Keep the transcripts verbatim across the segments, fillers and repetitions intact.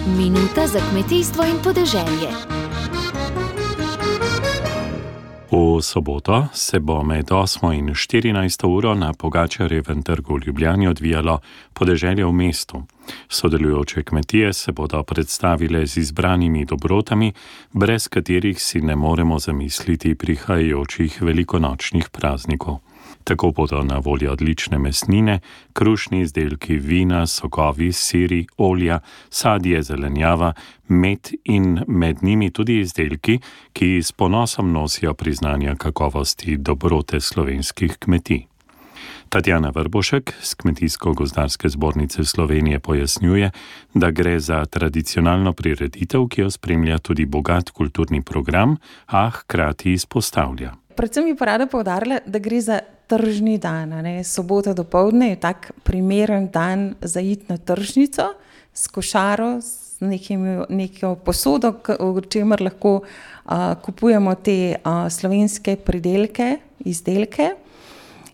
Minuta za kmetijstvo in podeželje. V soboto se bo med osmo in štirinajsto uro na Pogačarjevem trgu v Ljubljani odvijalo Podeželje v mestu. Sodelujoče kmetije se bodo predstavile z izbranimi dobrotami, brez katerih si ne moremo zamisliti prihajajočih velikonočnih praznikov. Tako bodo na voljo odlične mesnine, krušni izdelki, vina, sokovi, siri, olja, sadje, zelenjava, med in med njimi tudi izdelki, ki s ponosom nosijo priznanja kakovosti dobrote slovenskih kmetij. Tatjana Vrbošek z Kmetijsko-gozdarske zbornice Slovenije pojasnjuje, da gre za tradicionalno prireditev, ki jo spremlja tudi bogat kulturni program, a hkrati izpostavlja. Predvsem bi pa rada poudarila, da gre za tržni dan. Ne? Sobota dopoldne je tak primeren dan za iti na tržnico s košaro, s nekim, neko posodo, v čemer lahko uh, kupujemo te uh, slovenske pridelke, izdelke.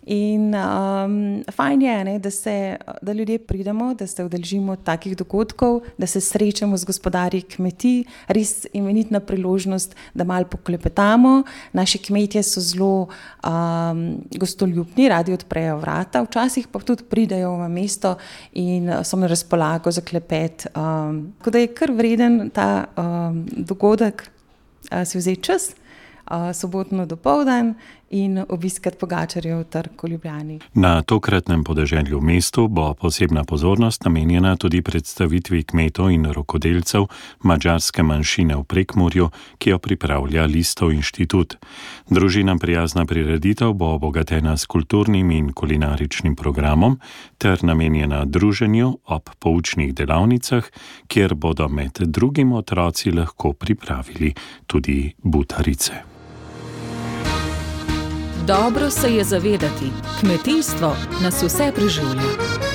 In um, fajn je, ne, da, se, da ljudje pridemo, da se udeležimo takih dogodkov, da se srečamo z gospodarji kmetij, res imenitna priložnost, da malo poklepetamo. Naši kmetje so zelo um, gostoljubni, radi odprejo vrata, včasih pa tudi pridejo v mesto in so na razpolago za klepet. Um, tako da je kar vreden ta um, dogodek, uh, si vzeti čas, uh, sobotno dopoldan in obiskati Pogačarjev trg v Ljubljani. Na tokratnem podeželju v mestu bo posebna pozornost namenjena tudi predstavitvi kmetov in rokodelcev madžarske manjšine v Prekmurju, ki jo pripravlja Listov inštitut. Družinam prijazna prireditev bo obogatena s kulturnim in kulinaričnim programom ter namenjena druženju ob poučnih delavnicah, kjer bodo med drugim otroci lahko pripravili tudi butarice. Dobro se je zavedati, kmetijstvo nas vse preživlja.